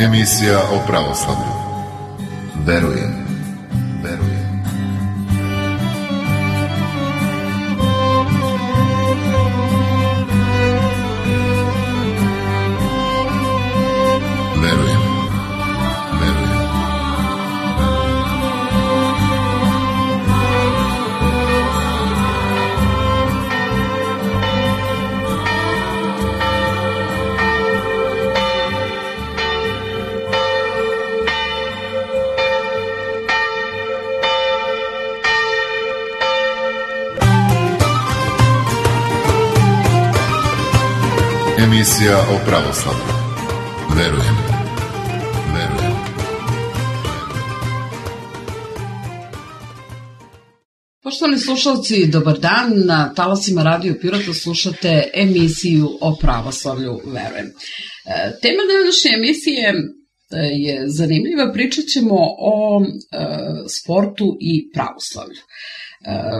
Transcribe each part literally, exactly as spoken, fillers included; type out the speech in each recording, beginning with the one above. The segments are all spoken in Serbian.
Emisija o pravoslavlju. Verujem, verujem. Verujem, verujem. Emisija o pravoslavlju. Verujem, verujem. Poštovani slušalci, dobar dan. Na talasima Radio Pirota slušate emisiju o pravoslavlju. Verujem. Tema današnje emisije je zanimljiva. Pričat ćemo o e, sportu i pravoslavlju.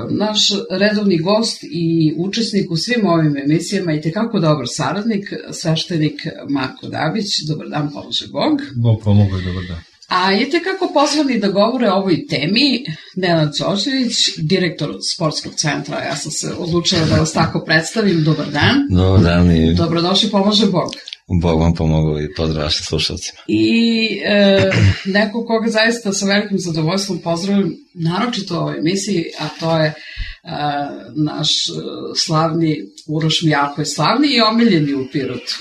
Naš redovni gost i učesnik u svim ovim emisijama i tekako dobar saradnik, sveštenik Marko Dabić. Dobar dan, pomože Bog. Bog pomogu i dobar dan. A je tekako pozvani da govore o ovoj temi Nenad Đorđević, direktor sportskog centra. Ja sam se odlučila da vas tako predstavim. Dobar dan. Dobar dan i... Dobrodošli, pomože Bog. Bog vam pomogu i pozdrav vašim slušalcima. I e, neko koga zaista sa velikim zadovoljstvom pozdravim, naročito u ovoj emisiji, a to je e, naš slavni Uroš Mijalko, slavni i omiljeni u Pirotu.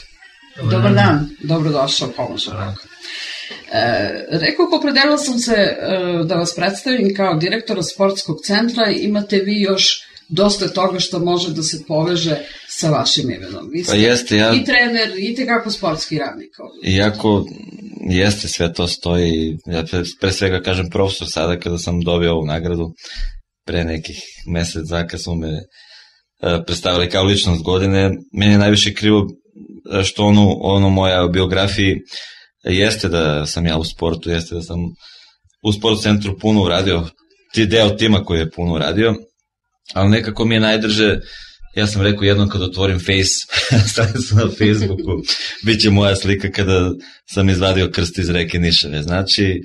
Dobar, Dobar dan. dan, dobrodošao, pomože Bog. E, rekao, opredelila sam se e, da vas predstavim kao direktora sportskog centra. Imate vi još dosta toga što može da se poveže sa vašim imenom. Vi ste pa jeste, ja... i trener, i tekako sportski radnik. Iako jeste, sve to stoji. Ja pre, pre svega kažem profesor sada kada sam dobio ovu nagradu pre nekih mesec za kad smo me e, predstavili kao ličnost godine. Meni je najviše krivo što ono, ono moja biografiji jeste da sam ja u sportu, jeste da sam u sport centru puno uradio, ti deo tima koji je puno uradio, ali nekako mi je najdrže, ja sam rekao jednom kad otvorim Face, stranicu na Facebooku, bit će moja slika kada sam izvadio krst iz reke Nišave. Znači,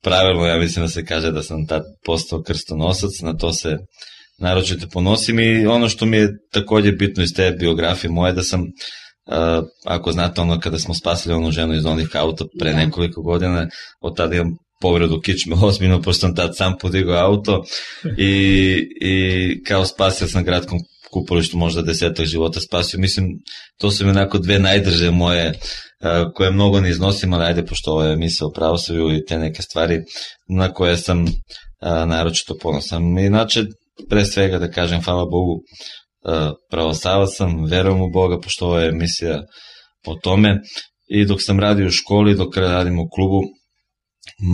pravilno ja mislim da se kaže da sam tad postao krstonosac, na to se naročito ponosim i ono što mi je također bitno iz te biografije moje da sam, ako znate ono kada smo spasili onu ženu iz onih auta pre nekoliko godina, od tada imam povredu kičme ozbiljno, pošto sam tad sam podigao auto i, i kao spasio sam gradskom kupalištu možda desetak života spasio. Mislim, to su mi onako dve najdrže moje uh, koje mnogo ne iznosim, ali ajde, pošto ovo je emisija o pravoslavlju i te neke stvari na koje sam uh, naročito ponosan. Inače, pre svega da kažem, hvala Bogu, uh, pravoslavac sam, verujem u Boga, pošto ovo je emisija o tome. I dok sam radio u školi, dok radim u klubu,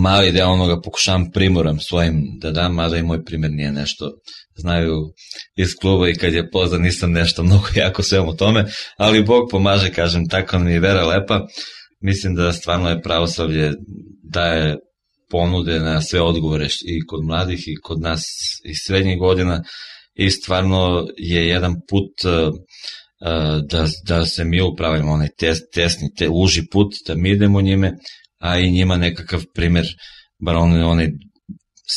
mali deo onoga pokušavam primoram svojim da dam, mada i moj primjer nije nešto, znaju iz kluba i kad je poznan nisam nešto mnogo jako svem o tome, ali Bog pomaže, kažem, tako mi je vera lepa. Mislim da stvarno je pravoslavlje daje ponude na sve odgovore i kod mladih i kod nas iz srednjih godina i stvarno je jedan put uh, da, da se mi upravljamo, onaj tes, tesni, te, uži put, da mi idemo njime, a i njima nekakav primjer, bar onaj, onaj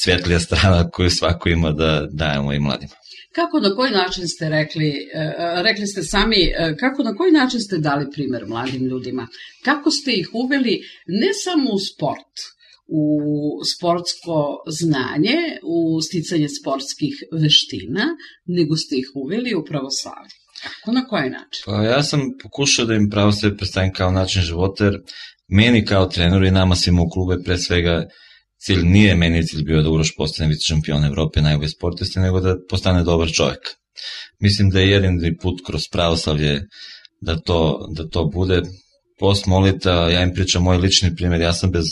svjetlija strana koju svako ima da dajemo i mladima. Kako, na koji način ste rekli, rekli ste sami, kako, na koji način ste dali primjer mladim ljudima? Kako ste ih uveli ne samo u sport, u sportsko znanje, u sticanje sportskih veština, nego ste ih uveli u pravoslavlje? Kako, na koji način? Pa ja sam pokušao da im pravoslavlje predstavim kao način života, jer meni kao treneru i nama svima u klubu je pre svega cilj, nije meni cilj bio da Uroš postane vice šampion Evrope, najbolji sportiste, nego da postane dobar čovjek. Mislim da je jedini put kroz pravoslavlje da to, da to bude. Post molita, ja im pričam moj lični primjer, ja sam bez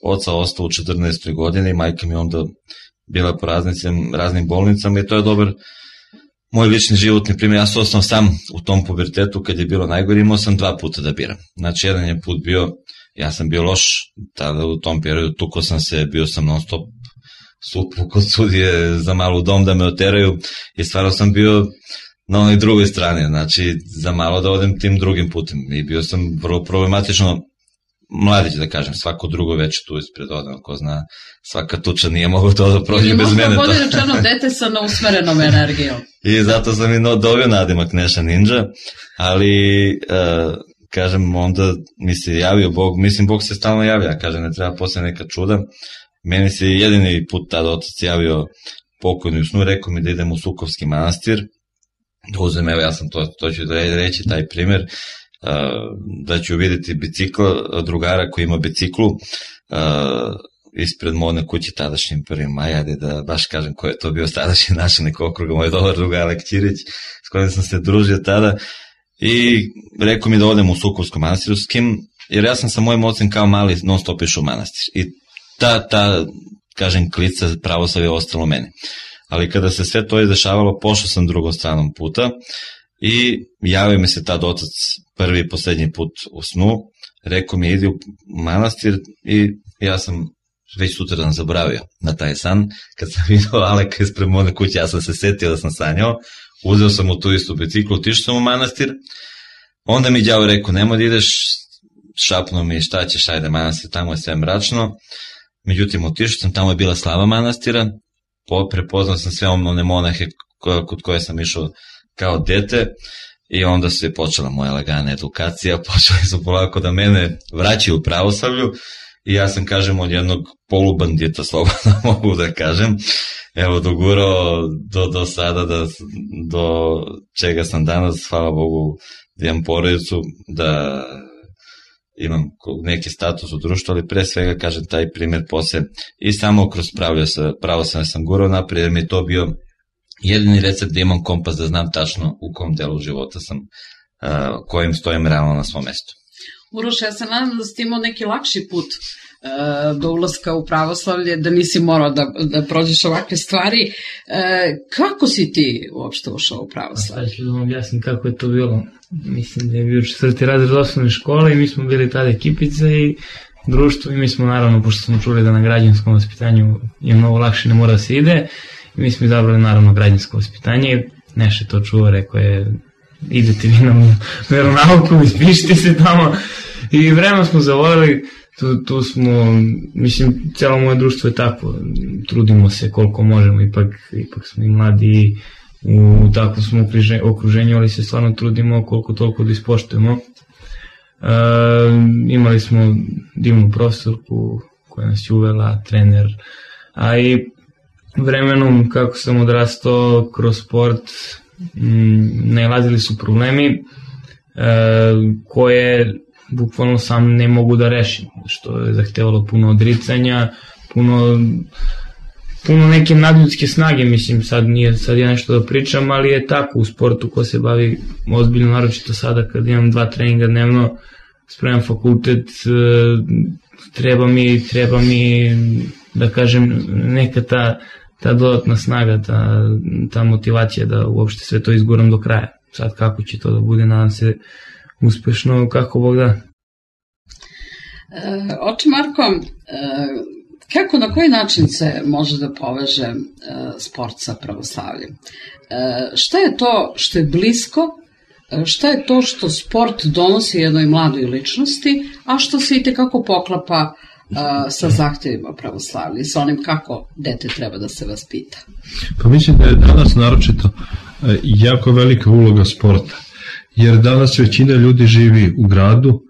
oca ostao u četrnaestoj godini, majka mi onda bila po raznim, raznim bolnicama i to je dobar moj lični životni primjer. Ja sam ostao sam u tom pubertetu kad je bilo najgore, imao sam dva puta da biram. Znači, jedan je put bio, ja sam bio loš, tada u tom periodu tuko sam se, bio sam non stop sutvu kod sudije za malu dom da me oteraju i stvarno sam bio na onoj drugoj strani, znači za malo da odem tim drugim putem i bio sam vrlo problematično mladić, da kažem, svako drugo već tu ispred odmah, ko zna, svaka tuča nije mogao to da prođe bez mene. Možda bolje rečeno dete sa neusmerenom energijom. I zato sam i dobio nadimak Neša Ninja, ali, uh, kažem, onda mi se javio Bog, mislim, Bog se stalno javlja, kažem, ne treba posle neka čuda. Meni se jedini put tada otac javio pokojni u snu, rekao mi da idem u Sukovski manastir, da uzem, evo ja sam to, to ću reći, taj primer, da ću vidjeti bicikl drugara koji ima biciklu ispred modne kuće tadašnjim prvim maja, da baš kažem ko je to bio tadašnji načelnik okruga, moj dobar druga Alek Ćirić, s kojim sam se družio tada, i rekao mi da odem u Sukovskom manastiru, s kim, jer ja sam sa mojim ocem kao mali non stop išao u manastir i ta, ta kažem, klica pravoslavlja je ostalo meni. Ali kada se sve to izdešavalo, pošao sam drugom stranom puta i javio mi se tad otac prvi i poslednji put u snu, rekao mi idi u manastir i ja sam već sutradan zaboravio na taj san. Kad sam vidio Aleka ispred modne kuće, ja sam se setio da sam sanjao, uzeo sam u tu istu biciklu, otišao sam u manastir, onda mi đavo rekao nemoj da ideš, šapnuo mi šta ćeš, ajde manastir, tamo je sve mračno. Međutim, otišao sam, tamo je bila slava manastira, prepoznao sam sve one monahe kod koje sam išao kao dete i onda se je počela moja lagana edukacija, počeli su polako da mene vraćaju u pravoslavlju i ja sam, kažem, od jednog polubandita, slobodno mogu da kažem, evo dogurao do, do sada, da, do čega sam danas, hvala Bogu, da imam porodicu, da imam neki status u društvu, ali pre svega, kažem, taj primjer posle i samo kroz pravoslavlje sam gurao naprijed, jer mi je to bio jedini recept da imam kompas, da znam tačno u kom delu života sam, uh, kojim stojim realno na svom mestu. Uroš, ja se nadam da si imao neki lakši put uh, do ulaska u pravoslavlje, da nisi morao da, da prođeš ovakve stvari. Uh, kako si ti uopšte ušao u pravoslavlje? Sad ću da vam objasnim kako je to bilo. Mislim da je bio četvrti razred osnovne škole i mi smo bili tada ekipica i društvo i mi smo, naravno, pošto smo čuli da na građanskom vaspitanju je mnogo lakše, ne mora da se ide, i mi smo izabrali, naravno, građansko vaspitanje. Neše to čuo, rekao je idete vi na veronauku, ispišite se tamo i vremena smo zavolili, tu, tu smo, mislim, celo moje društvo je tako, trudimo se koliko možemo, ipak, ipak smo i mladi u takvom smo okruženju, ali se stvarno trudimo koliko toliko da ispoštujemo. E, imali smo divnu profesorku koja nas je uvela, trener, a i vremenom kako sam odrastao kroz sport m, nailazili su problemi e, koje bukvalno sam ne mogu da rešim, što je zahtevalo puno odricanja, puno puno neke nadljudske snage, mislim, sad nije sad ja nešto da pričam, ali je tako u sportu ko se bavi ozbiljno, naročito sada kad imam dva treninga dnevno, spremam fakultet, treba mi, treba mi, da kažem, neka ta, ta dodatna snaga, ta, ta motivacija da uopšte sve to izguram do kraja. Sad kako će to da bude, nadam se uspešno, kako Bog da. E, oče Marko, e, kako, na koji način se može da poveže e, sport sa pravoslavljem? E, šta je to što je blisko, e, šta je to što sport donosi jednoj mladoj ličnosti, a što se i tekako poklapa e, sa zahtevima pravoslavlja i sa onim kako dete treba da se vaspita? Pa mislim da je danas naročito e, jako velika uloga sporta, jer danas većina ljudi živi u gradu,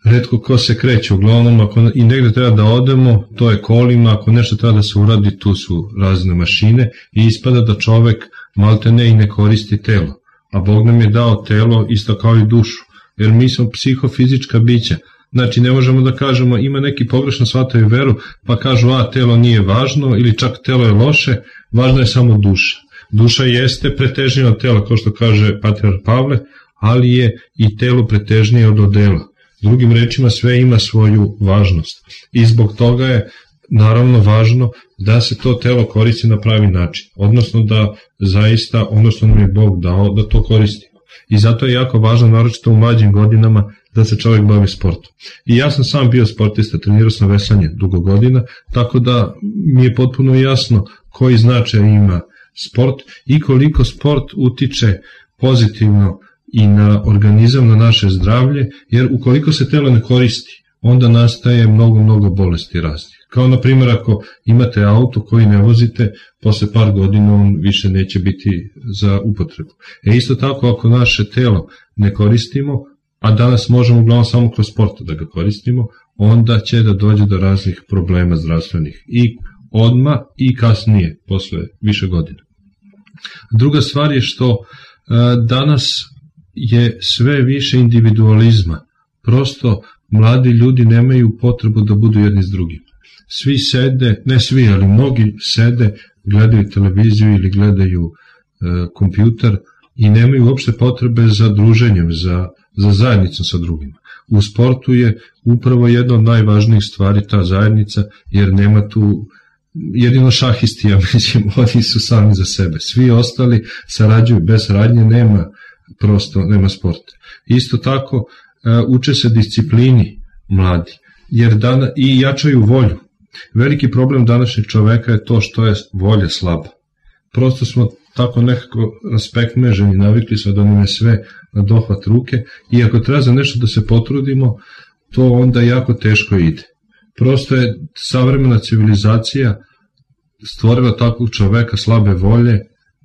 retko ko se kreće, uglavnom ako i negde treba da odemo, to je kolima, ako nešto treba da se uradi, tu su razne mašine i ispada da čovek malte ne i ne koristi telo, a Bog nam je dao telo isto kao i dušu, jer mi smo psihofizička bića, znači ne možemo da kažemo ima neki pogrešno shvataju veru, pa kažu a telo nije važno ili čak telo je loše, važno je samo duša. Duša jeste pretežnija od tela, kao što kaže patrijarh Pavle, ali je i telo pretežnije od odela. Drugim rečima, sve ima svoju važnost i zbog toga je naravno važno da se to telo koristi na pravi način, odnosno da zaista ono što nam je Bog dao da to koristimo. I zato je jako važno, naročito u mlađim godinama, da se čovjek bavi sportom. I ja sam sam bio sportista, trenirao sam veslanje dugo godina, tako da mi je potpuno jasno koji značaj ima sport i koliko sport utiče pozitivno i na organizam, na naše zdravlje, jer ukoliko se telo ne koristi, onda nastaje mnogo, mnogo bolesti raznih. Kao na primjer ako imate auto koji ne vozite, posle par godina on više neće biti za upotrebu. E isto tako ako naše telo ne koristimo, a danas možemo uglavnom samo kroz sport da ga koristimo, onda će da dođe do raznih problema zdravstvenih i odmah i kasnije, posle više godina. Druga stvar je što danas je sve više individualizma. Prosto mladi ljudi nemaju potrebu da budu jedni s drugim. Svi sede, ne svi, ali mnogi sede, gledaju televiziju ili gledaju e, kompjuter i nemaju uopšte potrebe za druženjem, za, za zajednicom sa drugima. U sportu je upravo jedna od najvažnijih stvari ta zajednica, jer nema tu, jedino šahisti, ja mislim, oni su sami za sebe. Svi ostali sarađuju, bez saradnje nema, prosto nema sporta. Isto tako, e, uče se disciplini mladi, jer dana, i jačaju volju. Veliki problem današnjeg čoveka je to što je volja slaba. Prosto smo tako nekako raspekmeženi, navikli smo da nam je sve na dohvat ruke i ako treba za nešto da se potrudimo, to onda jako teško ide. Prosto je savremena civilizacija stvorila takvog čoveka slabe volje,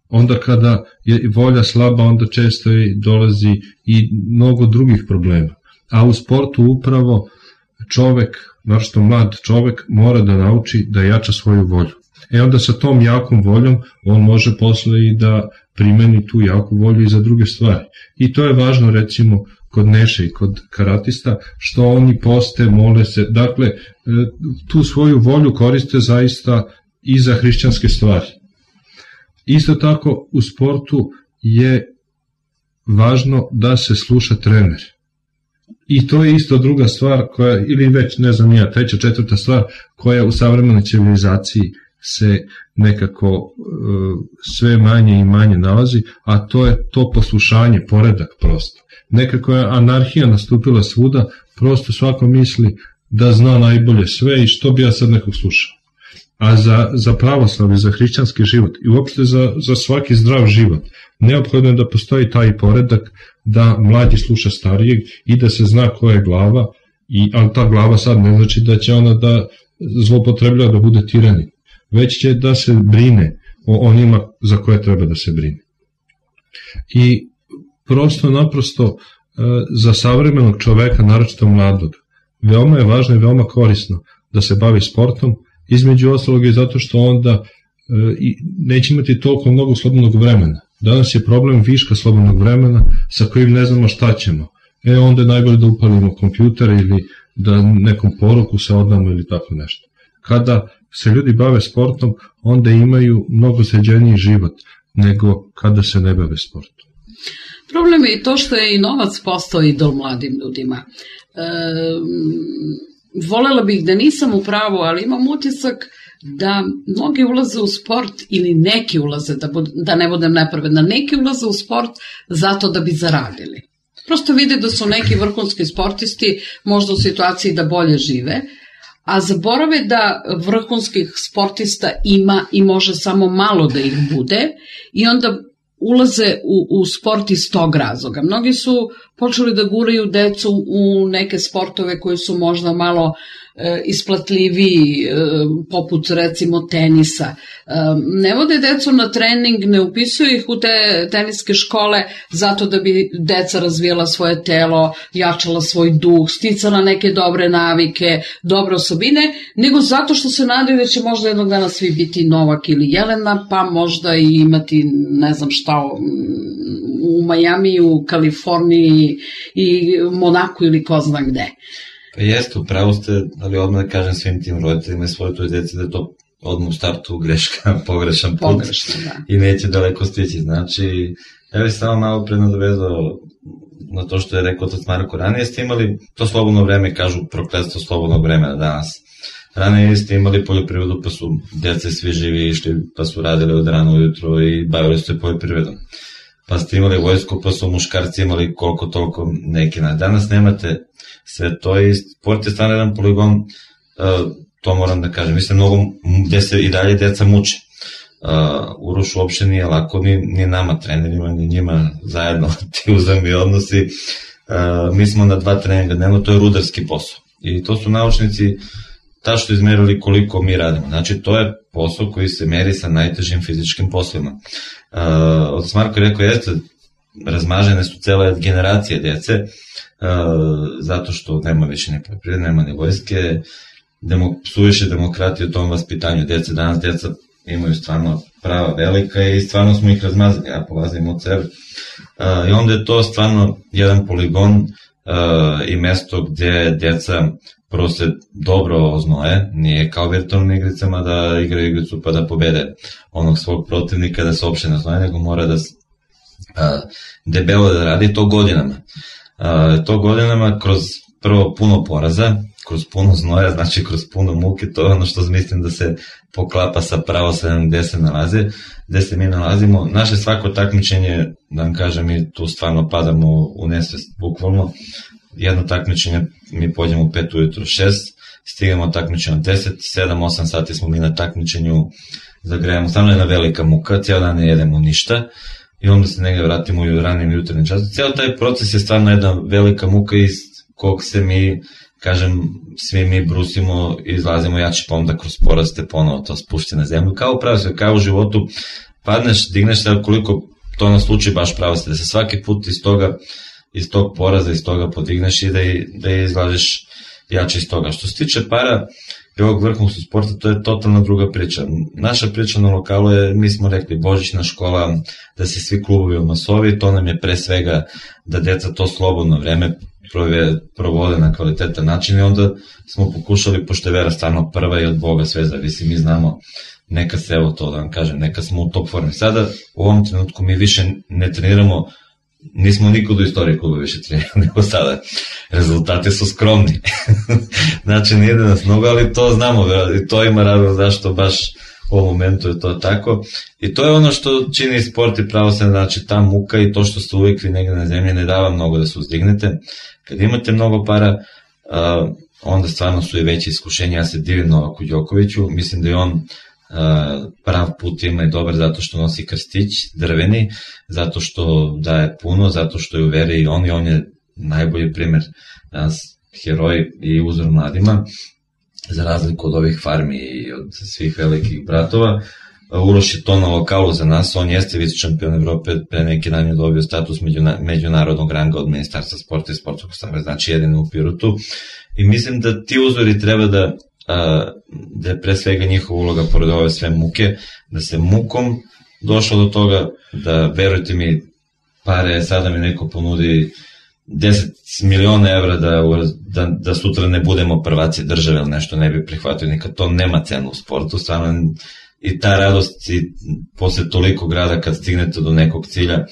onda kada je volja slaba, onda često i dolazi i mnogo drugih problema. A u sportu upravo čovek, našto mlad čovek, mora da nauči da jača svoju volju. E onda sa tom jakom voljom on može posle i da primeni tu jaku volju i za druge stvari. I to je važno recimo kod Neše i kod karatista, što oni poste, mole se, dakle tu svoju volju koriste zaista i za hrišćanske stvari. Isto tako u sportu je važno da se sluša trener. I to je isto druga stvar koja, ili već ne znam ja, treća, četvrta stvar koja u savremenoj civilizaciji se nekako uh, sve manje i manje nalazi, a to je to poslušanje, poredak prosto. Nekako je anarhija nastupila svuda, prosto svako misli da zna najbolje sve i što bi ja sad nekog slušao. A za, za pravoslavlje, za hrišćanski život i uopšte za, za svaki zdrav život, neophodno je da postoji taj poredak, da mlađi sluša starijeg i da se zna koja je glava, i, ali ta glava sad ne znači da će ona da zloupotrebljava da bude tiranin, već će da se brine o onima za koje treba da se brine. I prosto naprosto za savremenog čoveka, naročito mladog, veoma je važno i veoma korisno da se bavi sportom, između ostalog je zato što onda e, neće imati toliko mnogo slobodnog vremena. Danas je problem viška slobodnog vremena sa kojim ne znamo šta ćemo. E onda je najbolje da upalimo kompjuter ili da nekom poruku se odamo ili tako nešto. Kada se ljudi bave sportom, onda imaju mnogo sređeniji život nego kada se ne bave sportom. Problem je i to što je i novac postao idol mladim ljudima. E, volela bih da nisam u pravu, ali imam utisak da mnogi ulaze u sport ili neki ulaze, da, bud, da ne budem nepravedna, neki ulaze u sport zato da bi zaradili. Prosto vide da su neki vrhunski sportisti možda u situaciji da bolje žive, a zaborave da vrhunskih sportista ima i može samo malo da ih bude i onda ulaze u, u sport iz tog razloga. Mnogi su počeli da guraju decu u neke sportove koji su možda malo e, isplatljiviji, e, poput recimo tenisa. E, ne vode decu na trening, ne upisuju ih u te teniske škole zato da bi deca razvijala svoje telo, jačala svoj duh, sticala neke dobre navike, dobre osobine, nego zato što se nadaju da će možda jednog dana svi biti Novak ili Jelena, pa možda i imati ne znam šta u Majami, u Kaliforniji i Monaku ili ko zna gde. Pa jeste, upravo ste, ali odmah da kažem svim tim roditeljima i svoje toj djeci da je to odmah u startu greška, pogrešan put. Pogrešno, da. I neće daleko stići. Znači, ja bih samo malo pre nadovezao na to što je rekao otac Marko. Ranije ste imali to slobodno vreme, kažu prokletstvo slobodnog vremena danas. Ranije ste imali poljoprivredu, pa su djeca svi živi išli, pa su radili od rano ujutro i bavili se poljoprivredom. Pa ste imali vojsku, pa su muškarci imali koliko toliko neki. Danas nemate sve to i sport je stvarno jedan poligon, uh, to moram da kažem. Mislim, mnogo gde se i dalje djeca muče. Uh, Uroš uopšte nije lako ni, ni nama trenerima, ni njima zajedno ti uzemni odnosi. Uh, mi smo na dva treninga dnevno, to je rudarski posao. I to su naučnici tačno izmerili koliko mi radimo. Znači, to je posao koji se meri sa najtežim fizičkim poslovima. Uh, od Marko je rekao, jeste, razmažene su cele generacije djece, uh, zato što nema više ni poljoprivrede, nema ni vojske, demo, suviše demokratije u tom vaspitanju djece. Danas djeca imaju stvarno prava velika i stvarno smo ih razmazali, ja polazim od sebe. Uh, I onda je to stvarno jedan poligon uh, i mesto gdje djeca prvo se dobro oznoje, nije kao virtualnim igricama da igraju igricu pa da pobede onog svog protivnika, da se uopšte ne znoje, nego mora da uh, debelo da radi to godinama. Uh, to godinama kroz prvo puno poraza, kroz puno znoja, znači kroz puno muke, to je ono što mislim da se poklapa sa pravoslavljem gde se nalaze, gde se mi nalazimo. Naše svako takmičenje, da vam kažem, mi tu stvarno padamo u nesvest, bukvalno. Jedno takmičenje, mi pođemo u pet ujutro, šest, stigamo takmičenje od deset, sedam, osam sati smo mi na takmičenju, zagrejamo, stvarno je jedna velika muka, cijel dan ne jedemo ništa i onda se negdje vratimo u ranim jutarnjim časom. Cijel taj proces je stvarno jedna velika muka iz kog se mi, kažem, svi mi brusimo i izlazimo jači, pa onda kroz poraste ponovo to spušti na zemlju. Kao pravo se, kao u životu, padneš, digneš se, koliko to na slučaj baš pravo se, da se svaki put iz toga, iz tog poraza, iz toga podigneš i da, i, da izlažeš jače iz toga. Što se tiče para i ovog vrhunskog sporta, to je totalna druga priča. Naša priča na lokalu je, mi smo rekli, božićna škola, da se svi klubovi omasovi, to nam je pre svega da deca to slobodno vreme provode na kvalitetan način i onda smo pokušali, pošto je vera stvarno prva i od Boga sve zavisi, mi znamo, neka se, evo to da vam kažem, neka smo u top formi. Sada, u ovom trenutku mi više ne treniramo, nismo nikad u istoriji kluba više trenirali nego sada. Rezultati su skromni. Znači, nije da nas mnogo, ali to znamo, i to ima razlog zašto baš u ovom momentu je to tako. I to je ono što čini sport i pravoslavlje, znači ta muka i to što ste uvijek vi negdje na zemlji ne dava mnogo da se uzdignete. Kad imate mnogo para, uh, onda stvarno su i veće iskušenja. Ja se divim Novaku Đokoviću, mislim da je on uh, prav put ima i dobar zato što nosi krstić drveni, zato što daje puno, zato što je u veri i on i on je najbolji primjer danas, heroj i uzor mladima, za razliku od ovih farmi i od svih velikih bratova. Uroš je to na lokalu za nas, on jeste vice šampion Evrope, pre neki dan je dobio status međunarodnog ranga od Ministarstva sporta i sportskog saveza, znači jedino u Pirotu. I mislim da ti uzori treba da, a, da je pre svega njihova uloga pored ove sve muke, da se mukom došlo do toga, da verujte mi, pare, sada mi neko ponudi deset miliona evra da, da, da sutra ne budemo prvaci države ili nešto, ne bi prihvatio nikad, to nema cenu u sportu, stvarno. I ta radost i posle toliko grada kad stignete do nekog cilja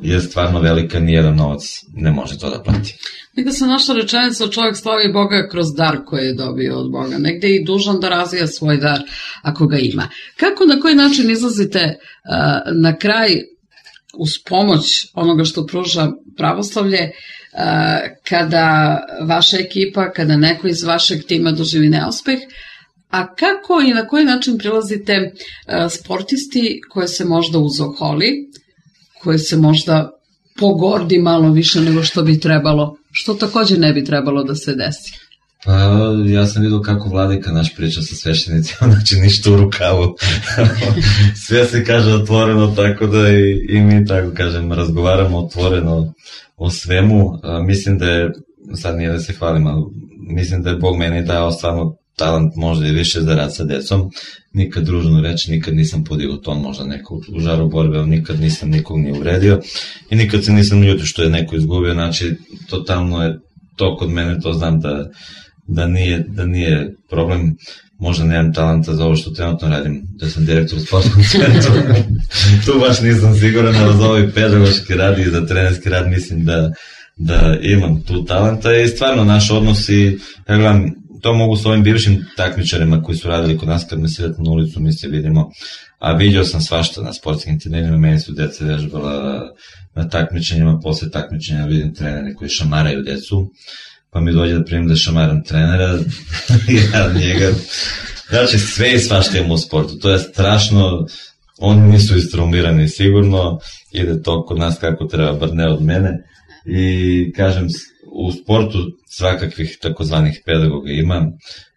je stvarno velika, nijedan novac ne može to da plati. Negde se naša rečenica, čovjek slavi Boga kroz dar koji je dobio od Boga, negde je i dužan da razvija svoj dar ako ga ima. Kako, na koji način izlazite uh, na kraj uz pomoć onoga što pruža pravoslavlje, uh, kada vaša ekipa, kada neko iz vašeg tima doživi neuspeh, a kako i na koji način prilazite uh, sportisti koje se možda uzoholi, koje se možda pogordi malo više nego što bi trebalo, što također ne bi trebalo da se desi? Pa ja sam vidio kako Vladika naš priča sa sveštenicima, znači ništa u rukavu. Sve se kaže otvoreno, tako da i, i mi tako kažem, razgovaramo otvoreno o svemu. A, mislim da je, sad nije da se hvalim, ali mislim da je Bog meni dao stvarno talent možda i više za rad sa decom. Nikad družno reći, nikad nisam podigao ton možda neko u žaru borbe, ali nikad nisam nikog ni uvredio i nikad se nisam ljutio što je neko izgubio, znači totalno je to kod mene, to znam da, da, nije, da nije problem, možda nemam talenta za ovo što trenutno radim, da sam direktor u sportskom centru, tu baš nisam siguran, ali za ovaj pedagoški rad i za trenerski rad mislim da, da imam tu talenta i stvarno naš odnos i ja gledam, to mogu s ovim bivšim takmičarima koji su radili kod nas kad me sretnu na ulicu, mi se vidimo, a vidio sam svašta na sportskim turnirima, meni su deca vežbala na takmičenjima, posle takmičenja vidim trenere koji šamaraju decu, pa mi dođe da primim da šamaram trenera, ja njega, znači sve i svašta imamo u sportu, to je strašno, oni nisu istraumirani sigurno, ide to kod nas kako treba, bar ne od mene, i kažem, u sportu svakakvih takozvanih pedagoga ima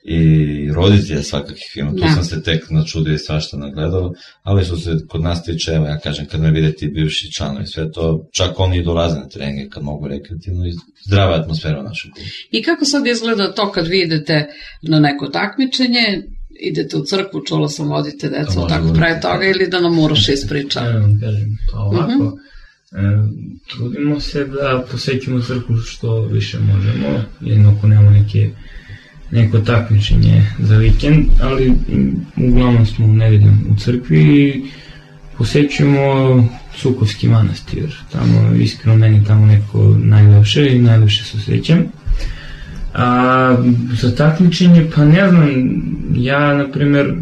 i roditelja svakakvih ima, tu sam se tek načudio i svašta nagledao, ali su se kod nas tiče, evo ja kažem, kad me vide ti bivši članovi, sve to, čak oni dolaze na treninge kad mogu rekreativno i zdrava atmosfera u našem klubu. I kako sad izgleda to kad vi idete na neko takmičenje, idete u crkvu, čula sam, vodite decu tako pre toga, ili da nam Uroš ispriča? Ja vam kažem, to ovako, trudimo se da posećimo crkvu što više možemo, jedino ako nemamo neke neko takmičenje za vikend, ali uglavnom smo u nedeljom u crkvi i posećujemo Sukovski manastir. Tamo, iskreno, meni tamo neko najlepše i najlepše se osjećam. A za takmičenje, pa ne znam, ja, na primer,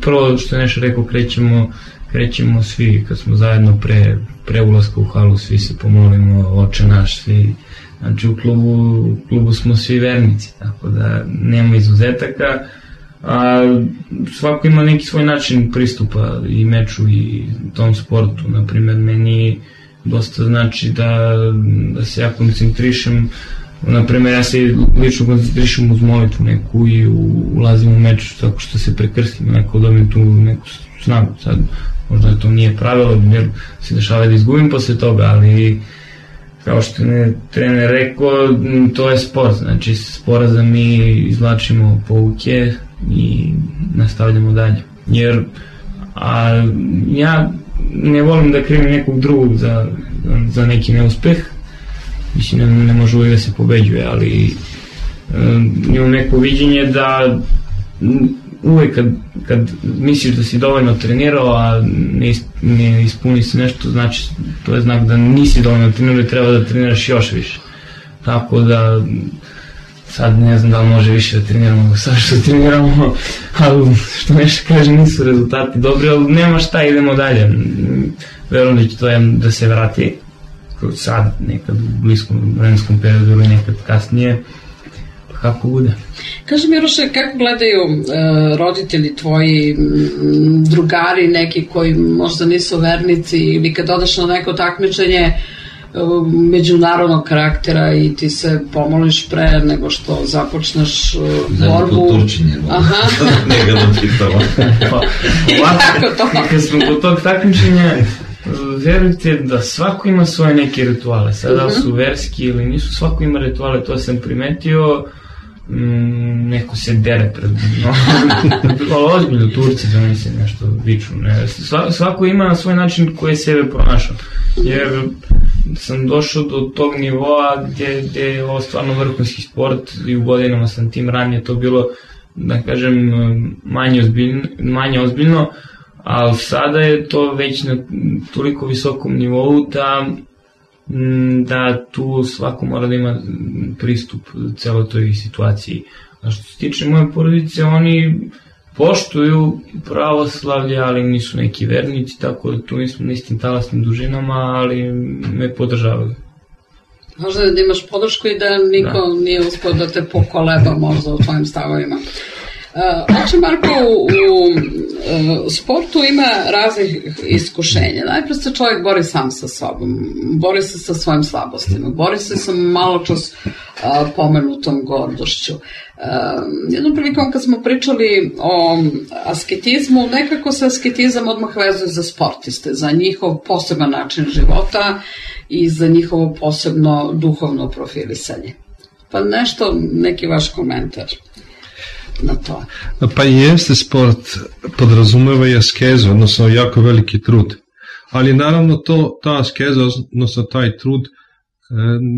prvo što je nešto rekao, krećemo, krećemo svi, kad smo zajedno pre, pre ulaska u halu, svi se pomolimo, Oče naš, svi. Znači u klubu, u klubu smo svi vernici, tako da nema izuzetaka, a svako ima neki svoj način pristupa i meču i tom sportu. Naprimer, meni dosta znači da, da se ja koncentrišem, naprimer ja se lično koncentrišem uz molitvu neku i ulazim u meč tako što se prekrstim, neko dobijem tu neku snagu. Sad, možda to nije pravilo, jer se dešava da izgubim posle toga, ali kao što je trener rekao, to je sport, znači sporazda mi izvlačimo pouke i nastavljamo dalje. Jer a, ja ne volim da krivim nekog drugog za, za neki neuspeh, mislim ne, ne može uvijek da se pobeđuje, ali um, imam neko viđenje da uvijek kad, kad misliš da si dovoljno trenirao, a ne, ne ispuni se nešto, znači to je znak da nisi dovoljno trenirao i treba da treniraš još više. Tako da sad ne znam da li može više da treniramo sad što treniramo, ali što nešto kaže nisu rezultati dobri, ali nema šta, idemo dalje. Verujem da će to da se vrati sad, nekad u bliskom vremenskom periodu ili nekad kasnije, pa kako bude. Kaži mi, Miroše, kako gledaju e, roditelji tvoji, m, drugari neki koji možda nisu vernici, ili kad odeš na neko takmičenje e, međunarodnog karaktera i ti se pomoliš pre nego što započneš e, borbu. Zadnje Turčinje, neka da pitamo. Pa, ovako, kad smo kod tog takmičenja, verujte da svako ima svoje neke rituale, sada su verski ili nisu, svako ima rituale, to sam primetio. Mm, neko se dere pred no, ali ozbiljno Turci za meni se nešto viču, ne. Sva, svako ima na svoj način koji je sebe pronašao, jer sam došao do tog nivoa gdje, gdje je ovo stvarno vrhunski sport i u godinama sam tim ranije to bilo, da kažem, manje ozbiljno, manje ozbiljno, ali sada je to već na toliko visokom nivou da da tu svako mora da ima pristup celoj toj situaciji. A što se tiče moje porodice, oni poštuju pravoslavlje, ali nisu neki vernici, tako da tu nismo na istim talasnim dužinama, ali me podržavaju. Možda da imaš podršku i da niko da. nije uspio da te pokoleba možda u tvojim stavovima. Oče Marko, u, u sportu ima raznih iskušenja. Najprej se čovjek bori sam sa sobom, bori se sa svojim slabostima, bori se sa maločas a, pomenutom gordošću. A, jednom prilikom kad smo pričali o asketizmu, nekako se asketizam odmah vezuje za sportiste, za njihov poseban način života i za njihovo posebno duhovno profilisanje. Pa nešto, neki vaš komentar na to. Pa jeste, sport podrazumeva i askezu, odnosno jako veliki trud. Ali naravno to, ta askeza, odnosno taj trud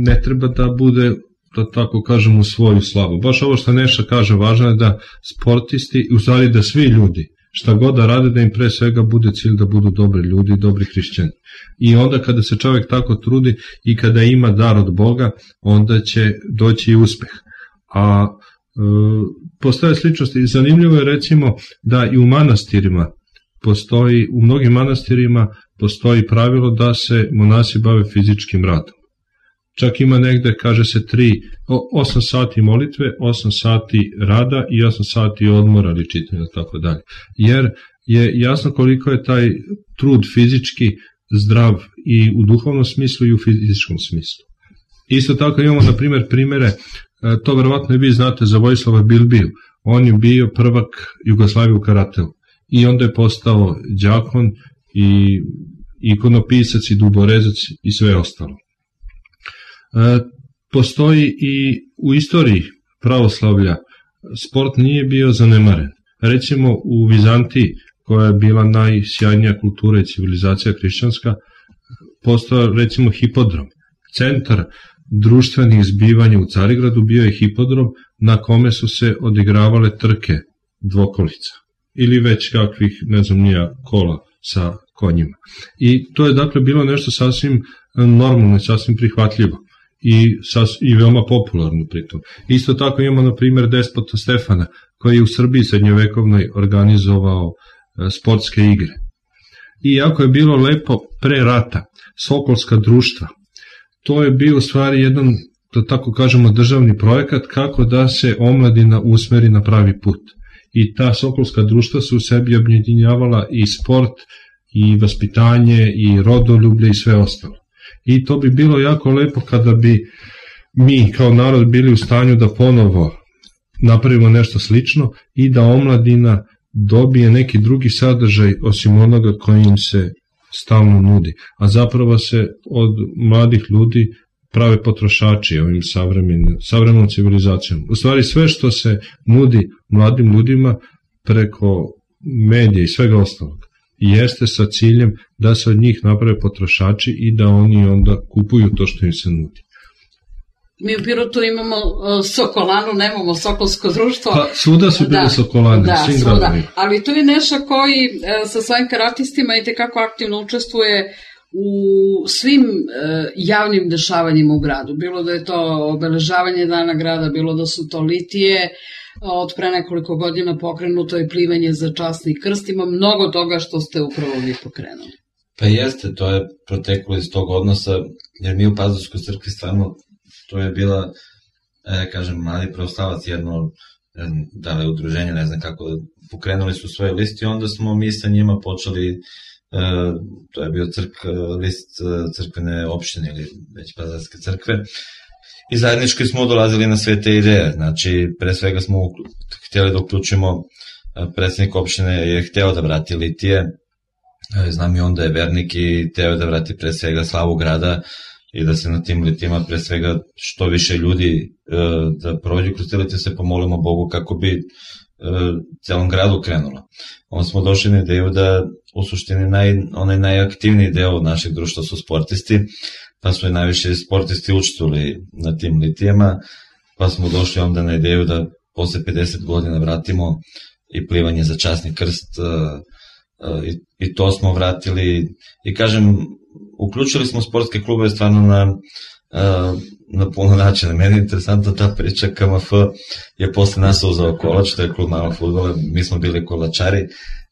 ne treba da bude, da tako kažem, u svoju slavu. Baš ovo što Neša kaže, važno je da sportisti, u stvari da svi ljudi, šta god da rade, da im pre svega bude cilj da budu dobri ljudi, dobri hrišćani. I onda kada se čovjek tako trudi i kada ima dar od Boga, onda će doći i uspeh. A postoje sličnosti i zanimljivo je recimo da i u manastirima postoji, u mnogim manastirima postoji pravilo da se monasi bave fizičkim radom. Čak ima negde, kaže se, tri, osam sati molitve, osam sati rada i osam sati odmora ili čitanja, tako dalje. Jer je jasno koliko je taj trud fizički zdrav i u duhovnom smislu i u fizičkom smislu. Isto tako imamo, na primjer, primere, to verovatno i vi znate za Vojislava Bilbiju. On je bio prvak Jugoslavije u karateu i onda je postao đakon i ikonopisac i duborezac i sve ostalo. E, postoji i u istoriji pravoslavlja sport nije bio zanemaren. Recimo u Vizantiji, koja je bila najsjajnija kultura i civilizacija hrišćanska, postao recimo hipodrom. Centar društvenih zbivanja u Carigradu bio je hipodrom na kome su se odigravale trke dvokolica ili već kakvih, ne znam nija, kola sa konjima. I to je dakle bilo nešto sasvim normalno, sasvim prihvatljivo i, sas, i veoma popularno pritom. Isto tako imamo na primjer despota Stefana, koji je u Srbiji srednjovekovnoj organizovao sportske igre. I jako je bilo lepo pre rata, Sokolska društva, to je bio u stvari jedan, da tako kažemo, državni projekat kako da se omladina usmeri na pravi put. I ta Sokolska društva su u sebi objedinjavala i sport, i vaspitanje, i rodoljublje i sve ostalo. I to bi bilo jako lepo kada bi mi kao narod bili u stanju da ponovo napravimo nešto slično i da omladina dobije neki drugi sadržaj osim onoga koji im se stalno nudi. A zapravo se od mladih ljudi prave potrošači ovim savremenom civilizacijom. U stvari sve što se nudi mladim ljudima preko medija i svega ostalog jeste sa ciljem da se od njih naprave potrošači i da oni onda kupuju to što im se nudi. Mi u Pirotu imamo uh, Sokolanu, nemamo Sokolsko društvo. Pa svuda su bile da, Sokolane, da, svim svuda. gradovima. Ali to je nešto koji uh, sa svojim karatistima i tekako aktivno učestvuje u svim uh, javnim dešavanjima u gradu. Bilo da je to obeležavanje dana grada, bilo da su to litije, od pre nekoliko godina pokrenuto je plivanje za časni krst, ima mnogo toga što ste upravo vi pokrenuli. Pa jeste, to je proteklo iz tog odnosa, jer mi u Pazarskoj crkvi stvarno, to je bila, e, kažem, mladi pravoslavac, jedno, da li udruženje, ne znam kako, pokrenuli su svoje listi, onda smo mi sa njima počeli, e, to je bio crk, list crkvene opštine ili već Pazarske crkve, i zajednički smo dolazili na sve te ideje. Znači, pre svega smo htjeli da uključimo, predsjednik opštine je hteo da vrati litije, znam i onda je vernik i hteo da vrati pre svega slavu grada i da se na tim litijima pre svega što više ljudi da prođu kroz te litije, se pomolimo Bogu kako bi celom gradu krenulo. Onda smo došli na ideju da u suštini naj, onaj najaktivniji deo našeg društva su sportisti, pa smo i najviše sportisti učestvovali na tim litijama, pa smo došli onda na ideju da posle pedeset godina vratimo i plivanje za časni krst, i, i to smo vratili i kažem, uključili smo sportske klubove stvarno na, na puno načina. Meni je interesantna ta priča, K M F je posle nas uzao kolač, to je klub malog fudbala, mi smo bili kolačari,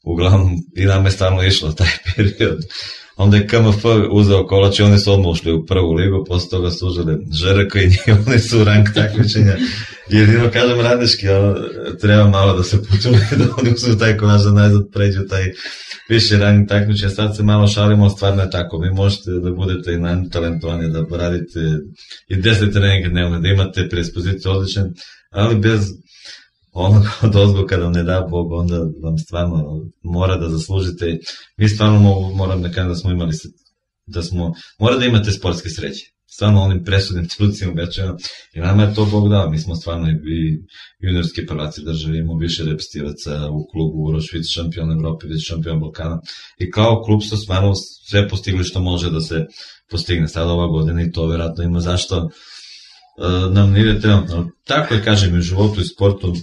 uglavnom i nam je stvarno išlo taj period. Onda je K M F uzeo kolač i oni su odmah ušli u prvu ligu, posle toga su užili Ž R K i oni su u rang takmičenja. Jedino, kažem, radnički, treba malo da se počuli da oni uzmu taj kolač da najzad pređu taj više rang takmičenja. Sad se malo šalimo, stvarno je tako. Vi možete da budete i najtalentovani, da radite i deset treninga dnevno, da imate predispoziciju odličan, ali bez onog dozgo kada vam ne da Bog, onda vam stvarno mora da zaslužite. Mi stvarno moram da kažem da smo imali, da smo, mora da imate sportske sreće. Stvarno onim presudnim trucima večera. I nama je to Bog dao. Mi smo stvarno i juniorski prvaci države, imamo više reprezentativaca u klubu Uroš, vice šampion Evrope, vice šampion Balkana. I kao klub smo stvarno sve postigli što može da se postigne. Sada ova godina i to vjerojatno ima zašto uh, nam ne ide trenutno. Tako je, kažem, i u životu i sportu,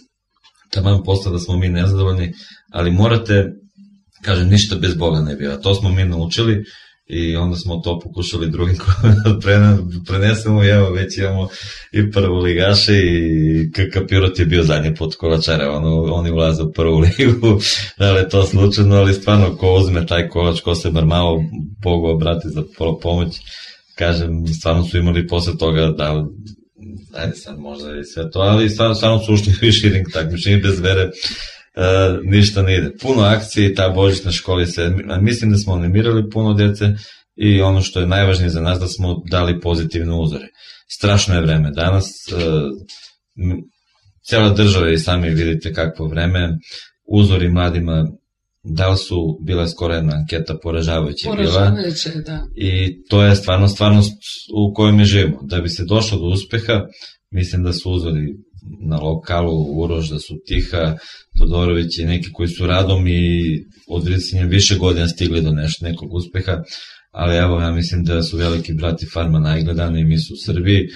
tamo posle da smo mi nezadovoljni, ali morate, kažem, ništa bez Boga ne biva. To smo mi naučili i onda smo to pokušali drugim da prenesemo i evo već imamo i prvu ligaše i K K Pirot je bio zadnji put kolačare, ono, oni ulaze u prvu ligu, da li je to slučajno, ali stvarno ko uzme taj kolač, ko se bar malo Bogu obrati za pomoć, kažem, stvarno su imali posle toga da ajde sad možda i sve to, ali stvarno, stvarno su ušli više ring takmičenja bez vere, uh, ništa ne ide. Puno akcije, ta božićna škola se, mislim da smo animirali puno djece i ono što je najvažnije za nas da smo dali pozitivne uzore. strašno je vreme. Danas cijela država i sami vidite kakvo vreme, uzori mladima, da li su, bila skoro jedna anketa poražavajuća je bila. Poražavajuća, da. I to je stvarno stvarnost u kojoj mi živimo. Da bi se došlo do uspeha, mislim da su uzori na lokalu Uroš, da su Tiha, Todorović i neki koji su radom i odvricanjem više godina stigli do nešto, nekog uspeha, ali evo, ja mislim da su veliki brati Farma najgledani, mi su u Srbiji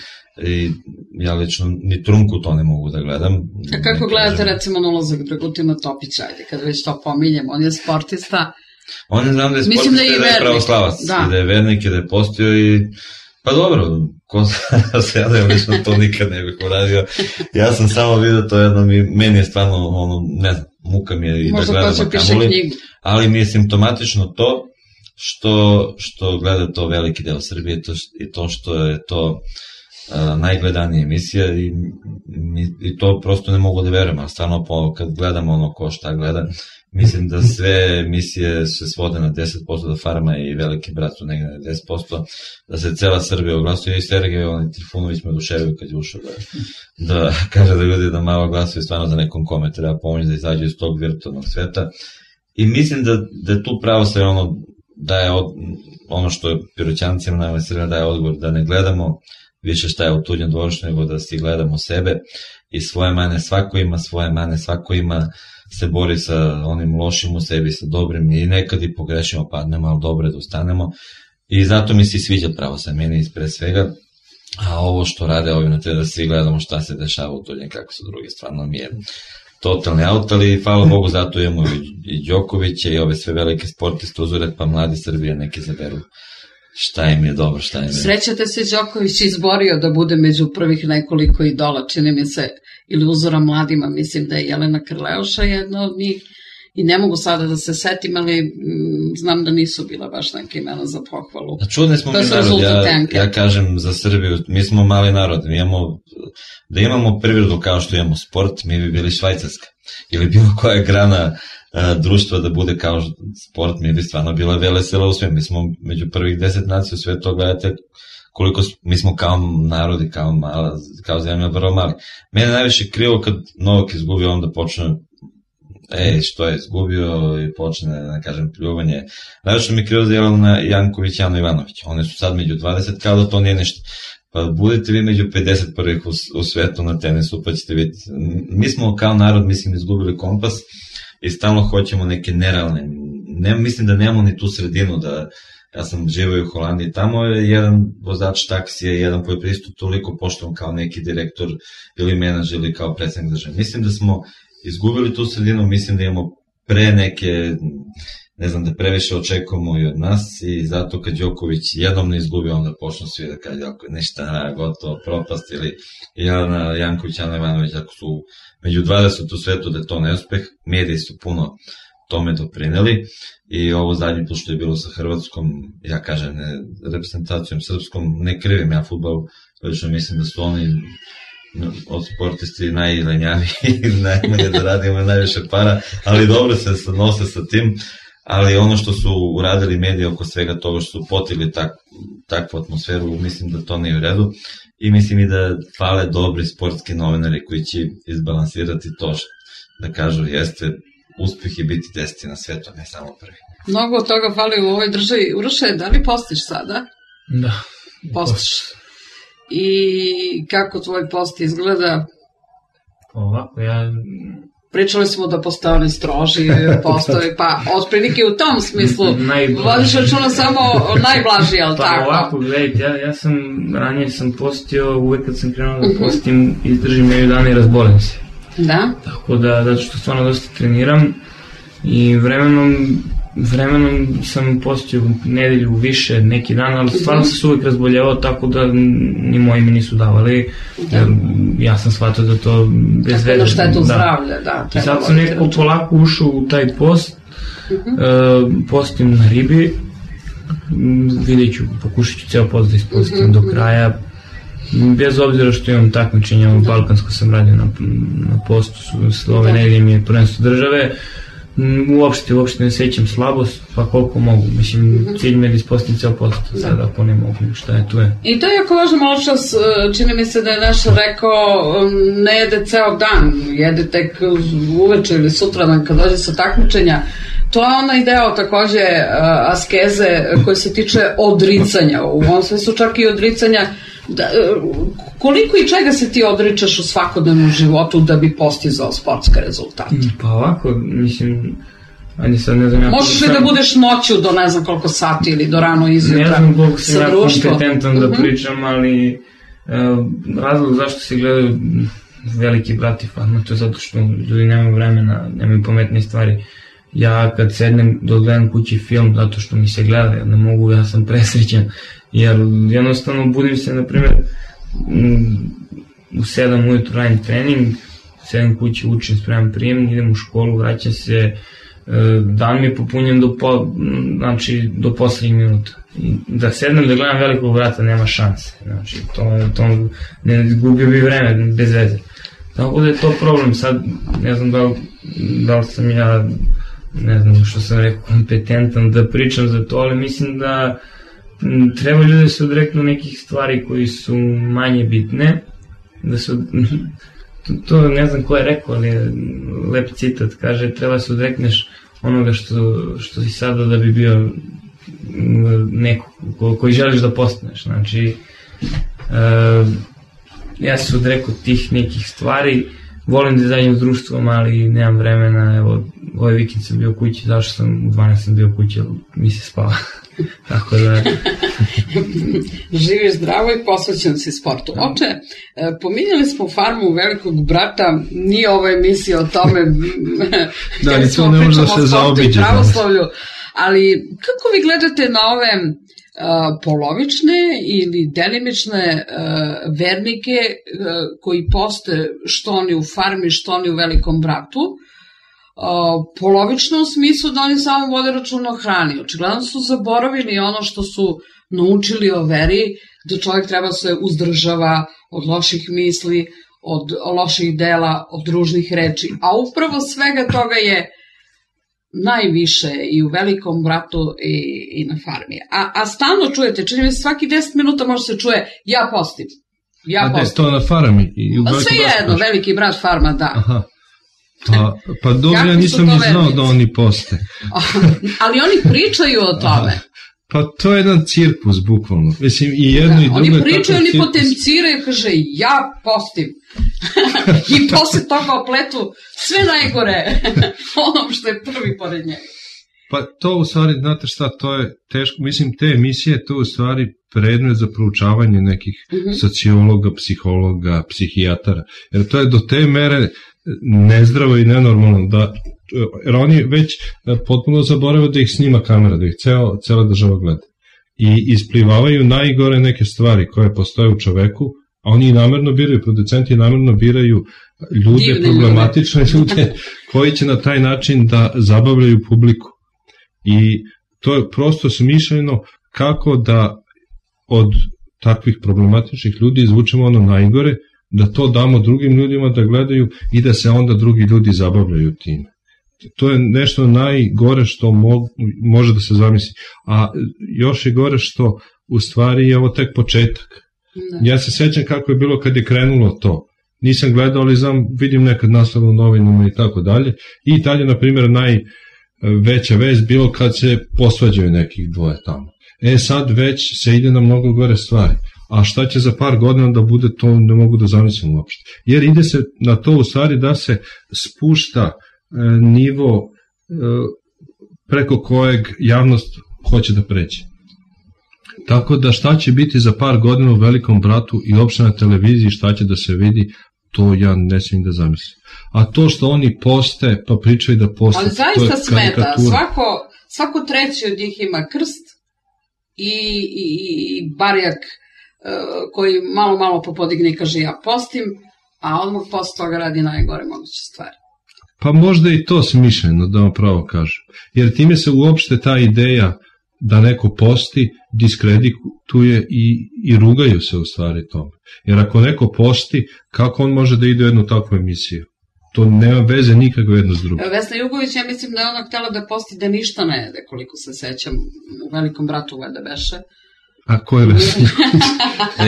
i ja lično ni trunku to ne mogu da gledam. A kako gledate recimo na ulazak Dragutina Topića, ajde, kad već to pominjem, on je sportista. On je znam da je sportista i da je pravoslavac, i da je vernik i da je postio i pa dobro, ko se ja da je lično to nikad ne bih uradio. Ja sam samo vidio to jedno, meni je stvarno, ono, ne znam, muka mi je i da gledam Akamuli, ali mi je simptomatično to što, što gleda to veliki deo Srbije to, i to što je to uh, najgledanija emisija i, i to prosto ne mogu da verujem, ali stvarno po, kad gledamo ono ko šta gleda, mislim da sve emisije se svode na deset posto, da Farma i Veliki brat su negde na deset posto, da se cela Srbija oglasuje i Sergej on, Trifunović me oduševio kad je ušao da, da kaže da ljudi da malo glasuje stvarno za nekom kome treba pomoći da izađu iz tog virtualnog sveta i mislim da, da je tu pravo sve ono da je od, ono što je Piroćancima najbolje Srbija daje odgovor da ne gledamo više šta je u tuđem dvorištu nego da si gledamo sebe i svoje mane, svako ima svoje mane, svako ima se bori sa onim lošim u sebi, sa dobrim i nekad i pogrešimo, padnemo, ali dobro je da ustanemo i zato mi se sviđa pravo sa meni ispred svega, a ovo što rade ovim na te da svi gledamo šta se dešava u tuđem, kako su drugi, stvarno mi je totalni aut, ali hvala Bogu zato imamo i Đokovića i ove sve velike sportiste uzore, pa mladi Srbije neki zaberu šta im je dobro, šta im je. Srećate se Đoković izborio da bude među prvih nekoliko idola, čini mi se, ili uzora mladima, mislim da je Jelena Krleuša jedna od njih i ne mogu sada da se setim, ali m, znam da nisu bila baš neke imena za pohvalu. Čudni smo mi narod, ja, ja kažem za Srbiju, mi smo mali narod, mi imamo, da imamo privredu kao što imamo sport, mi bi bili Švajcarska ili bilo koja grana a, društva da bude kao sport, mi bi stvarno bila velesela u sve, mi smo među prvih deset nacija u svetu, gledate koliko mi smo kao narodi, kao, mala, kao zemlja vrlo mali. Mene najviše krivo kad Novak izgubio, onda počne ej, što je izgubio i počne, da kažem, pljuvanje. Najviše mi krivo za Jelena Janković i Jano Ivanović. One su sad među dvadeset, kao da to nije ništa. Pa budete vi među pedeset prvih u, u svetu na tenisu, pa ćete vidjeti. Mi smo kao narod, mislim, izgubili kompas i stalno hoćemo neke nerealne. Ne, mislim da nemamo ni tu sredinu da ja sam živio u Holandiji, tamo je jedan vozač taksija, jedan koji je pristup toliko poštovan kao neki direktor ili menadžer ili kao predsednik države. Mislim da smo izgubili tu sredinu, mislim da imamo pre neke, ne znam, da previše očekujemo i od nas i zato kad Đoković jednom ne izgubi, onda počnu svi da kaže ako je nešto gotovo, propast ili Jelena Janković, Jano Ivanović, ako su među dvadeset u svetu da je to neuspeh, mediji su puno tome doprineli i ovo zadnji put što je bilo sa Hrvatskom, ja kažem, ne, reprezentacijom srpskom, ne krivim ja fudbal, lično mislim da su oni od sportisti najlenjaviji i najmanje da radi, imaju najviše para, ali dobro se nose sa tim, ali ono što su uradili mediji oko svega toga što su potigli tak, takvu atmosferu, mislim da to nije u redu i mislim i da fale dobri sportski novinari koji će izbalansirati to što, da kažu, jeste uspeh i biti deseti na svetu, ne samo prvi. Mnogo od toga fali u ovoj državi. Uroše, da li postiš sada? Da. Postiš. I kako tvoj post izgleda? Ovako, ja... Pričali smo da postoje oni stroži postoji, pa otprilike u tom smislu vodiš računa samo najblaži, ali pa tako? Pa ovako, gledajte, ja, ja sam, ranije sam postio, uvek kad sam krenuo da postim, izdržim među dana i razbolim se. Da? Tako da, zato što stvarno dosta treniram i vremenom, vremenom sam postio nedelju više neki dan, ali stvarno sam se uvijek razboljevao, tako da ni moji mi nisu davali, jer ja sam shvatio da to bez veze. Tako da štetu zdravlja, da. I sad sam nekako polako ušao u taj post, uh, postim na ribi, vidjet ću, pokušat ću ceo post da ispostim do kraja, bez obzira što imam takmičenja, balkansko sam radio na, na postu, ove nedelje mi je prvenstvo države, Uopšte, uopšte ne sećam slabost, pa koliko mogu. Mislim, cilj mi je da ispostim ceo posto, sad ako ne mogu, šta je, tu je. I to je jako važno, malo čas, čini mi se da je naš rekao, ne jede ceo dan, jede tek uveče ili sutradan kad dođe sa takmičenja. To je onaj deo takođe askeze koji se tiče odricanja, u ovom smislu čak i odricanja. Da, koliko i čega se ti odričaš u svakodnevnom životu da bi postizao sportske rezultate? Pa ovako, mislim, ajde sad ne znam... Ja možeš li sam... da budeš noću do ne znam koliko sati ili do rano izjutra? Ne znam koliko sam ja kompetentan da pričam, ali e, razlog zašto se gledaju Veliki brat i Farma, to je zato što ljudi nemaju vremena, nemaju pametne stvari. Ja kad sednem da odgledam kući film zato što mi se gleda, ja ne mogu, ja sam presrećen, jer jednostavno budim se, na primjer, u sedam ujutru radim trening, sedem kući, učim, spremam prijem, idem u školu, vraćam se, dan mi je popunjen do, po, znači, do poslednjih minuta. I da sednem da gledam Velikog brata nema šanse, znači, to, to ne gubio bi vreme, bez veze. Tako da je to problem, sad ne znam da li, da li sam ja, ne znam što sam rekao, kompetentan da pričam za to, ali mislim da treba ljudi da se odreknu nekih stvari koji su manje bitne, da se, to, to ne znam ko je rekao, ali je lep citat, kaže treba se odrekneš onoga što, što si sada da bi bio neko ko, koji želiš da postaneš, znači uh, ja se odrekao tih nekih stvari, volim da izađem s društvom, ali nemam vremena, evo, ovaj vikend sam bio kući, zašto sam u dvanaest sam bio kući, mi se spava. Tako da... Živiš zdravo i posvećen si sportu. Oče, pominjali smo Farmu Velikog brata, nije ova emisija o tome, da, ni to ne može da se zaobiđe. Ali kako vi gledate na ove uh, polovične ili delimične uh, vernike uh, koji poste što oni u Farmi, što oni u Velikom bratu? Uh, polovično u smislu da oni samo vode računa o hrani. Očigledno su zaboravili ono što su naučili o veri, da čovjek treba se uzdržava od loših misli, od loših dela, od ružnih reči, a upravo svega toga je najviše i u Velikom bratu i, i na Farmi. A, a stalno čujete, čini mi se svaki deset minuta može se čuje ja postim. Ja a postim. A to na Farmi? I u sve jedno, Veliki brat, Farma, da. Aha. Pa, pa dobro, ja nisam ni znao da oni poste. Ali oni pričaju o tome. Aha. Pa to je jedan cirkus, bukvalno. Mislim, i jedno da, i drugo oni pričaju, oni potenciraju, kaže, ja postim. I posle toga opletu sve najgore onom što je prvi pored njega. Pa to u stvari, znate šta, to je teško. Mislim, te emisije, to u stvari predmet za proučavanje nekih uh-huh. sociologa, psihologa, psihijatara. Jer to je do te mere nezdravo i nenormalno, da, jer oni već potpuno zaboravaju da ih snima kamera, da ih ceo, cela država gleda. I isplivavaju najgore neke stvari koje postoje u čoveku, a oni namerno biraju, producenti namerno biraju ljude, divne problematične ljude. ljude koji će na taj način da zabavljaju publiku. I to je prosto smišljeno kako da od takvih problematičnih ljudi izvučemo ono najgore, da to damo drugim ljudima da gledaju i da se onda drugi ljudi zabavljaju time. To je nešto najgore što mo, može da se zamisli. A još je gore što u stvari je ovo tek početak. Ne. Ja se sećam kako je bilo kad je krenulo to. Nisam gledao, ali znam, vidim nekad naslov u novinama i tako dalje. I dalje, na primjer, najveća vest bilo kad se posvađaju nekih dvoje tamo. E sad već se ide na mnogo gore stvari. A šta će za par godina da bude, to ne mogu da zamislim uopšte. Jer ide se na to u stvari da se spušta e, nivo e, preko kojeg javnost hoće da pređe. Tako da šta će biti za par godina u Velikom bratu i uopšte na televiziji, šta će da se vidi, to ja ne smijem da zamislim. A to što oni poste, pa pričaju da poste, ali zaista smeta, svako, svako treći od njih ima krst i, i, i barjak koji malo malo popodigne i kaže ja postim, a odmah posle toga radi najgore moguće stvari. Pa možda i to smišljeno, da vam pravo kažem. Jer time se uopšte ta ideja da neko posti diskredituje i, i rugaju se u stvari tome. Jer ako neko posti, kako on može da ide u jednu takvu emisiju? to nema veze nikako jedno s drugim. Vesna Jugović, ja mislim da je ona htjela da posti da ništa ne jede, koliko se sećam, u Velikom bratu vede beše. A ko je Vesna?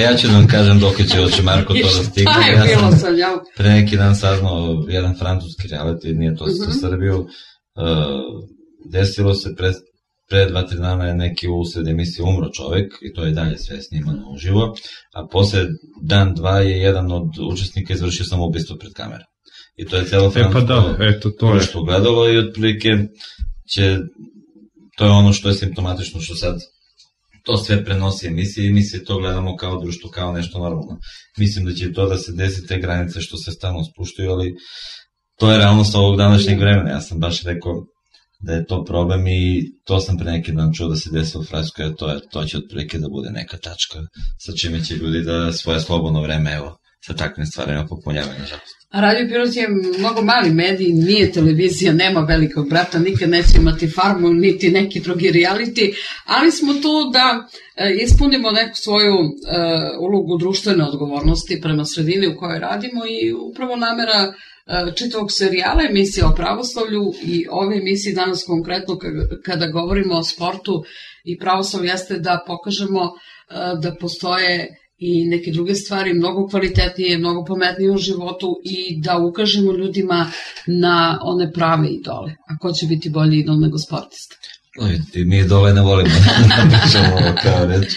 Ja ću da vam kažem dok će oče Marko to da stigne. Šta je ja bilo sam sa njom? pre neki dan saznao jedan francuski reality, nije to Mhm. za Srbiju. Uh, desilo se pre, pre dva, tri dana je neki usred emisije umro čovek i to je dalje sve snimano uživo, a posle dan, dva je jedan od učesnika izvršio samoubistvo pred kamerom. I to je celo E pa francusko da, eto, to je. društvo gledalo i otprilike će, to je ono što je simptomatično, što sad to sve prenosi emisije i mi se to gledamo kao društvo, kao nešto normalno. Mislim da će to da se desi, te granice što se stalno spuštaju, ali to je realnost ovog današnjeg vremena. Ja sam baš rekao da je to problem i to sam pre neki dan čuo da se desi u Francuskoj, a to, je, to će otprilike da bude neka tačka sa čime će ljudi da svoje slobodno vreme, evo, sa takvim stvarima popunjavaju, nažalost. A Radio Pirot je mnogo mali medij, nije televizija, nema Velikog brata, nikad neće imati Farmu, niti neki drugi reality, ali smo tu da e, ispunimo neku svoju e, ulogu društvene odgovornosti prema sredini u kojoj radimo i upravo namera e, čitavog serijala emisija o pravoslavlju i ove emisije danas konkretno kada govorimo o sportu i pravoslavlju jeste da pokažemo e, da postoje i neke druge stvari mnogo kvalitetnije, mnogo pametnije u životu i da ukažemo ljudima na one prave idole. A ko će biti bolji idol nego sportista? Vidite, mi idole ne volimo da pričamo ovo kao reč,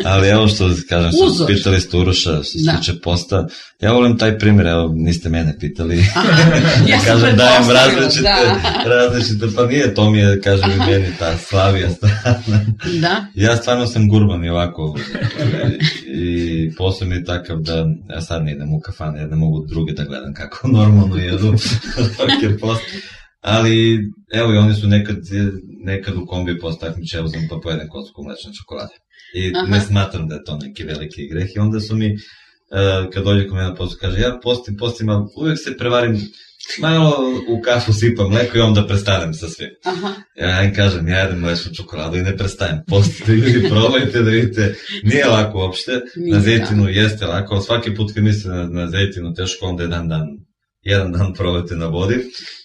ali evo što kažem, što pitali ste Uroša, što se Da. tiče posta, ja volim taj primjer, evo niste mene pitali, Ja sam kažem dajem pretpostavila, različite, da. različite, pa nije, to mi je, kažem i meni, ta Slavija strana. Da. Ja stvarno sam gurban i ovako, i posao mi je takav da ja sad ne idem u kafane, jer ne mogu druge da gledam kako normalno jedu, dok je post. Ali, evo i oni su nekad, nekad u kombi post takmiče, evo sam pa pojedem kocku mlečne čokolade. I Aha. ne smatram da je to neki veliki greh. I onda su mi, uh, kad dođe kod mene na postu, kaže, ja postim, postim, ali uvijek se prevarim, malo u kafu sipam mleko i onda prestanem sa svim. Aha. Ja im kažem, ja jedem mlečnu čokoladu i ne prestajem. Postite ljudi, probajte da vidite, nije lako uopšte, Nije, na zejtinu jeste lako, ali svaki put kad mislite na, na zejtinu, teško onda jedan dan, jedan dan probajte na vodi,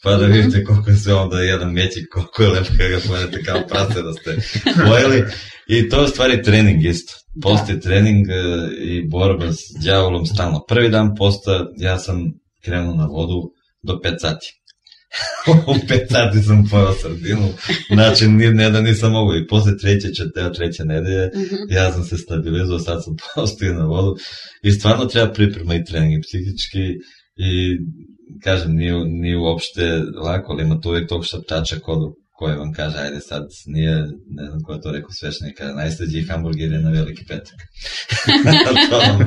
pa da vidite koliko je sve onda jedan mećik, koliko je lepo kada ga pojedete kao prase da ste pojeli. I to je u stvari trening isto. Post je trening e, i borba s đavolom stalno. Prvi dan posta ja sam krenuo na vodu do pet sati. U pet sati sam pojao sardinu, znači ne da nisam mogu. I posle treće, četvrte, treće nedelje, Mhm. ja sam se stabilizovao, sad sam postao na vodu. I stvarno treba priprema i trening i psihički i kažem, nije, nije uopšte lako, ali ima tu uvijek tog šaptača kodu koji vam kaže, ajde sad nije, ne znam ko je to rekao svešnika, najslađi hamburger je na veliki petak. To vam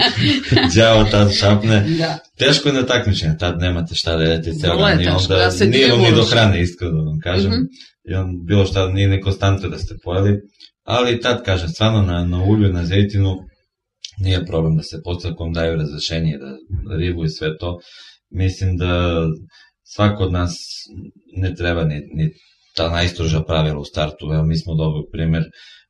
đavo tad šapne. Da. Teško je na takmičenje, tad nemate šta da jedete ceo Vrlo je dan i teško, onda da se nije vam ni do dijevuš. hrane, iskreno da vam kažem. Mhm. I on bilo šta, nije ni konstantno da ste pojeli, ali tad kažem, stvarno na, na ulju, na zejtinu, nije problem da se postakom daju razrešenje, da ribu i sve to. Mislim da svako od nas ne treba ni, ni ta najstroža pravila u startu, evo mi smo dobar primjer,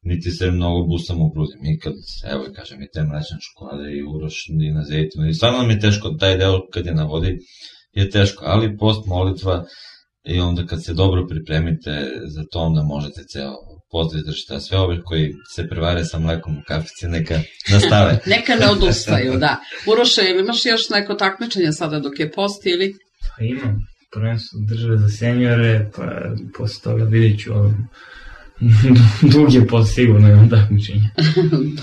niti se mnogo busamo u grudi, mi kad, evo i kažem, i te mlečne čokolade i Uroš i na zejtinu, i stvarno nam je teško, taj deo kad je na vodi je teško, ali post, molitva i onda kad se dobro pripremite za to, onda možete ceo post izdržiti, a sve ove koji se prevare sa mlekom u kafici, neka nastave. Neka ne odustaju, da. Uroše, ili imaš još neko takmičenje sada dok je post ili? Pa imam prvenstvo države za senjore, pa posle toga vidjet ću ovo. Dug je post, sigurno imam takmičenje.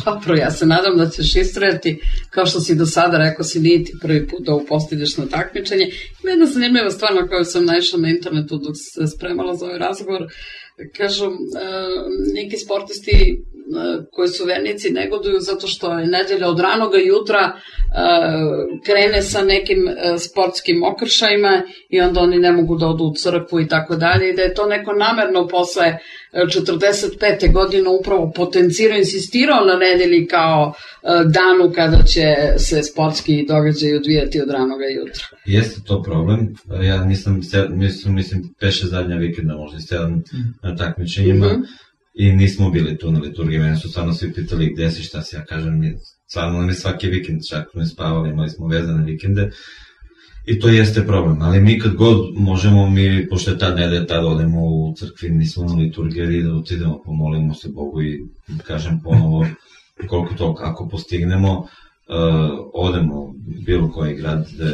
Dobro, ja se nadam da ćeš istrajati, kao što si do sada rekao, si nije ti prvi put da upostideš na takmičenje. Ima jedna zanimljiva stvar na koju sam naišla na internetu dok se spremala za ovaj razgovor. Kažu, e, neki sportisti e, koji su vernici negoduju zato što je nedelja od ranoga jutra e, krene sa nekim e, sportskim okršajima i onda oni ne mogu da odu u crkvu i tako dalje i da je to neko namerno posle četrdeset pete godine upravo potencirao, insistirao na nedelji kao e, danu kada će se sportski događaj odvijati od ranoga jutra. Jeste to problem, ja nisam, mislim, mislim peše zadnja vikenda, možda sedam na takmičenjima Mhm. i nismo bili tu na liturgiji, mene su stvarno svi pitali gde si, šta si, ja kažem, mi, stvarno nam je svaki vikend, čak ne spavali, imali smo vezane vikende I to jeste problem, ali mi kad god možemo, mi, pošto je tad nedelja, tad odemo u crkvi, nismo na liturgiji, da otidemo, pomolimo se Bogu i kažem ponovo koliko to, ako postignemo, uh, odemo u bilo koji grad, da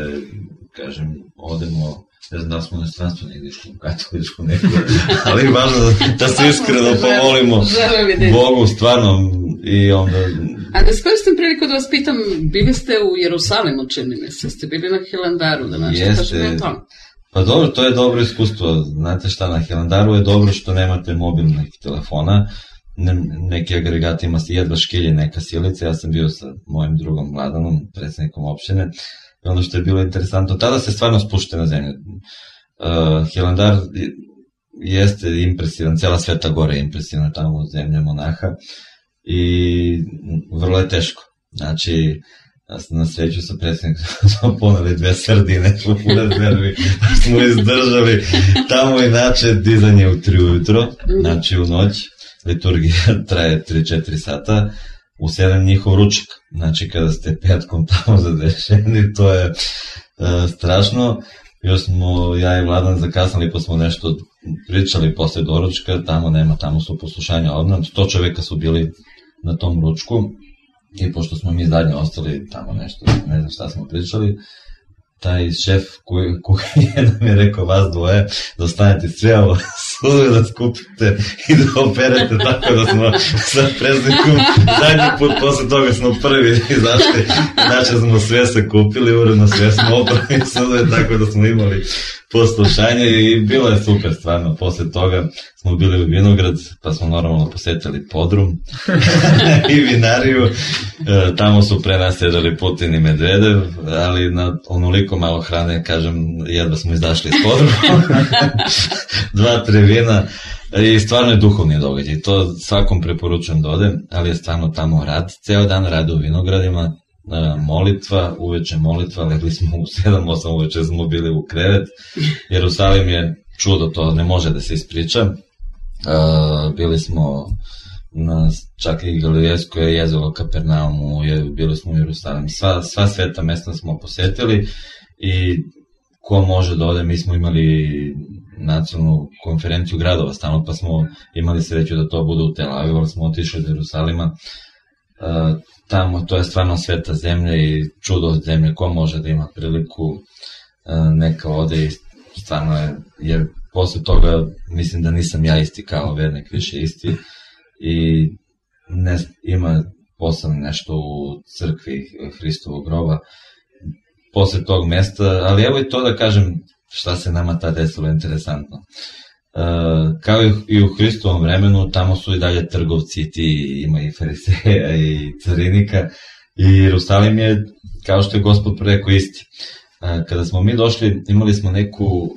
kažem, odemo, ne znam da smo na stranstvu negdje išli u katoličku neku, ali važno da se iskreno pomolimo Bogu, stvarno, i onda... A da iskoristim priliku da vas pitam, bili ste u Jerusalimu, čini mi se, ste bili na Hilandaru, da nešto kažem o tom? Pa dobro, to je dobro iskustvo, znate šta, na Hilandaru je dobro što nemate mobilnih telefona, ne, neki agregati ima jedva škilje, neka silica, ja sam bio sa mojim drugom Vladanom, predsjednikom opštine, i ono što je bilo interesantno, tada se stvarno spušte na zemlju. Uh, Hilandar jeste impresivan, cela Sveta Gora je impresivna tamo u zemlje monaha i vrlo je teško. Znači, na sreću sa predsjednikom smo poneli dve sardine, u rezervi, smo izdržali. Tamo inače dizanje u tri ujutro, znači u noć, liturgija traje tri do četiri sata, u sedam njihov ručak, znači kada ste petkom tamo zadešeni, to je uh, strašno. Još smo, ja i Vladan zakasnali, pa smo nešto pričali posle doručka, tamo nema, tamo su poslušanja odmah, sto čoveka su bili na tom ručku i pošto smo mi zadnje ostali tamo nešto, ne znam šta smo pričali, taj šef kuhinje nam je rekao, vas dvoje, da ostanete sve ovo suve, da skupite i da operete, tako da smo sa predsjednikom zadnji put, posle toga smo prvi izašli, znači smo sve se kupili, uredno sve smo oprali suve, tako da smo imali poslušanje i bilo je super stvarno. Posle toga smo bili u Vinograd, pa smo normalno posetili podrum i vinariju, e, tamo su pre nas sedeli Putin i Medvedev, ali na onoliko malo hrane, kažem, jedva smo izašli iz podruma, dva, tri vina i stvarno je duhovni događaj, to svakom preporučujem da ode, ali je stvarno tamo rad, ceo dan rade u vinogradima, molitva, uveče molitva, legli smo u sedam osam uveče, smo bili u krevet. Jerusalim je čudo, to ne može da se ispriča. Uh, bili smo na čak i Galilejsko je jezero, Kapernaumu, je, bili smo u Jerusalim. Sva, sva sveta mesta smo posetili i ko može da ode, mi smo imali nacionalnu konferenciju gradova stalno, pa smo imali sreću da to bude u Tel Avivu, ali smo otišli do Jerusalima. Uh, tamo, to je stvarno sveta zemlja i čudo od zemlje, ko može da ima priliku uh, neka ode i stvarno je, jer posle toga mislim da nisam ja isti kao vernik, više isti i ne, ima posebno nešto u crkvi Hristovog groba posle tog mesta, ali evo i to da kažem šta se nama ta desilo interesantno. Uh, kao i u Hristovom vremenu, tamo su i dalje trgovci, ti ima i fariseja i carinika i Jerusalim je, kao što je Gospod rekao, isti. Uh, kada smo mi došli, imali smo neku uh,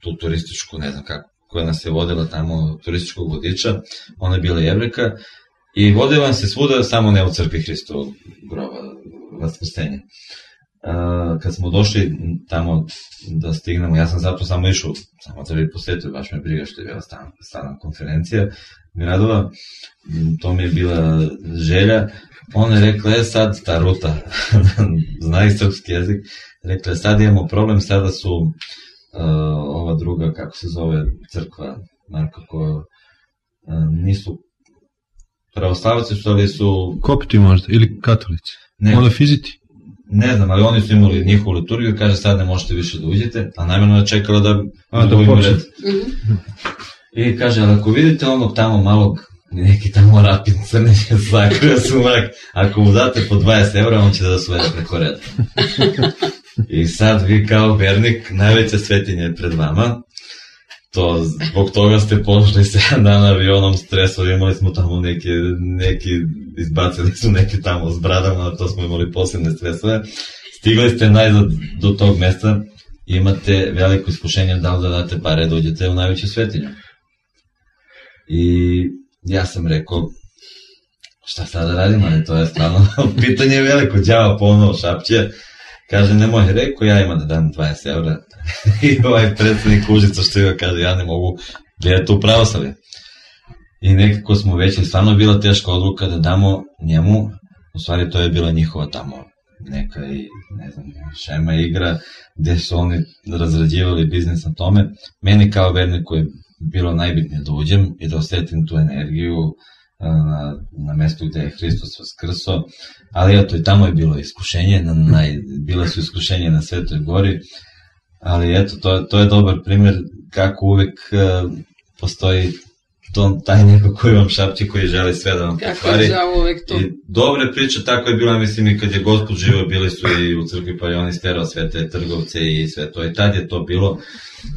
tu turističku, ne znam kako, koja nas je vodila tamo, turističkog vodiča, ona je bila Jevreka i vodila se svuda, samo ne u crkvi Hristovog groba, vaskrsenja. Uh, kad smo došli tamo da stignemo, ja sam zato samo išao, samo da bi posjetio, baš me briga što je bila stalna konferencija gradova, to mi je bila želja. Ona je rekla, je sad ta ruta, zna i srpski jezik, rekla je sad imamo problem, sada su uh, ova druga, kako se zove, crkva, nekako, uh, nisu pravoslavaci su, ali su... Kopti možda, ili katolici, ne, monofiziti. Ne znam, ali oni su imali njihovu liturgiju, kaže sad ne možete više da uđete, a najmjerno je čekala da... A, da počne. I kaže, ali ako vidite onog tamo malog, neki tamo rapin crne će sakrio sumak, ako mu date po dvadeset evra, on će da svede preko reda. I sad vi kao vernik, najveća svetinja je pred vama, to zbog toga ste pošli sedam dana avionom stresu, imali smo tamo neki, neki izbacili su neki tamo s bradama, to smo imali posebne stresove. Stigli ste najzad do tog mesta, imate veliko iskušenje da li da date pare da uđete u najveću svetinju. I ja sam rekao, šta sad da radim, ali to je stvarno pitanje veliko, đava ponovo šapće. Kaže, nemoj, rekao, ja imam da dam dvadeset evra. I ovaj predsjednik Užica što je kaže, ja ne mogu gledati u pravoslavlje. I nekako smo već, stvarno je bila teška odluka da damo njemu, u stvari to je bila njihova tamo neka i, ne znam, šema igra, gde su oni razrađivali biznis na tome. Meni kao verniku je bilo najbitnije da uđem i da osetim tu energiju na, na mestu gde je Hristos vaskrso, ali eto i tamo je bilo iskušenje, na, naj, bila su iskušenje na Svetoj gori, ali eto, to, to je dobar primer kako uvek uh, postoji to, taj neko koji vam šapće, koji želi sve da vam pokvari. I dobre priče, tako je bila, mislim, i kad je Gospod živio, bili su i u crkvi, pa je on isterao sve te trgovce i sve to. I tad je to bilo,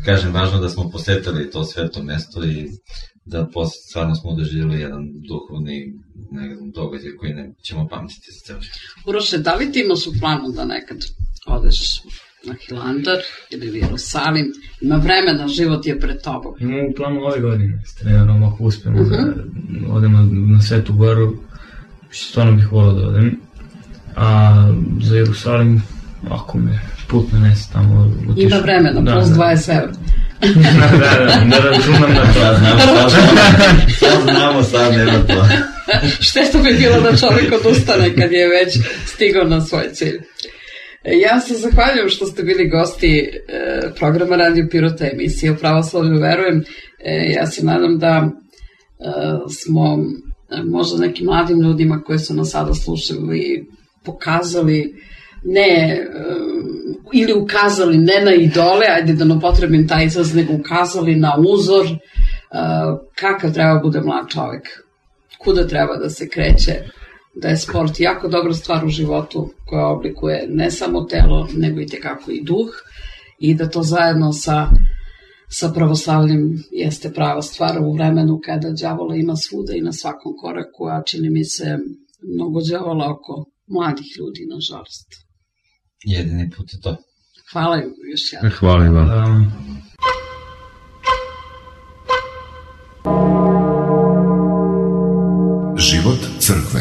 kažem, važno da smo posetali to sveto mesto i da posle stvarno smo doživjeli jedan duhovni događaj koji ne ćemo pamtiti za ceo život. Uroše, da li ti imaš u planu da nekad odeš na Hilandar ili u Jerusalim? Ima vremena, život je pred tobom. Imamo u planu ove godine, s trenerom, ako uspemo uh-huh. da odemo na Svetu goru, stvarno bih volao da odem. A za Jerusalim, ako me put nanese tamo utišu. Ima vremena, da, plus dvadeset evra. da, da, ne računam na to. Sad znamo, sad nema to. Šteta bi bilo da čovjek odustane kad je već stigao na svoj cilj. Ja se zahvaljujem što ste bili gosti e, programa Radio Pirota, emisije o pravoslavlju verujem. E, ja se nadam da e, smo e, možda nekim mladim ljudima koji su nas sada slušali pokazali ne, e, ili ukazali ne na idole, ajde da ne upotrebim taj izraz, nego ukazali na uzor e, kakav treba bude mlad čovjek, kuda treba da se kreće, da je sport jako dobra stvar u životu koja oblikuje ne samo telo, nego i tekako i duh i da to zajedno sa, sa pravoslavljem jeste prava stvar u vremenu kada đavola ima svuda i na svakom koraku, a čini mi se mnogo đavola oko mladih ljudi, nažalost. Jedini put je to. Hvala još jednom. Hvala i vam. Um. Život crkve.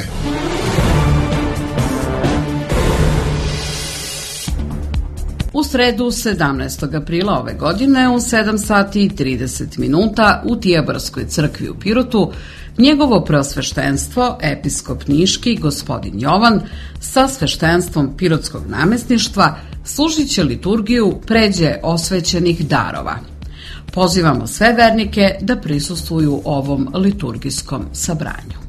U sredu sedamnaestog aprila ove godine u sedam sati i trideset minuta u Tijabarskoj crkvi u Pirotu njegovo preosveštenstvo, episkop Niški, gospodin Jovan, sa sveštenstvom Pirotskog namestništva služit će liturgiju pređe osvećenih darova. Pozivamo sve vernike da prisustvuju ovom liturgijskom sabranju.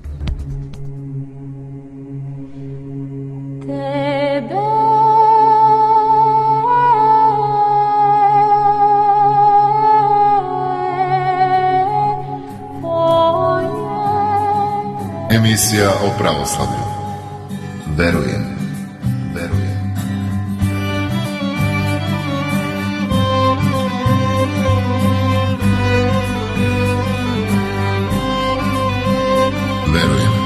Emisija o pravoslavlju. Verujem. Verujem. Verujem. Verujem.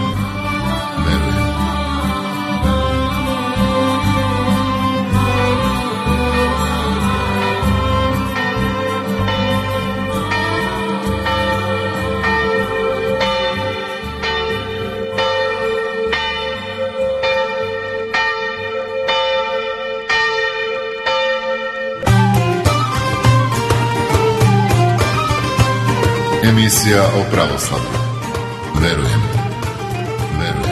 Emisija o pravoslavlju. Verujem. Verujem.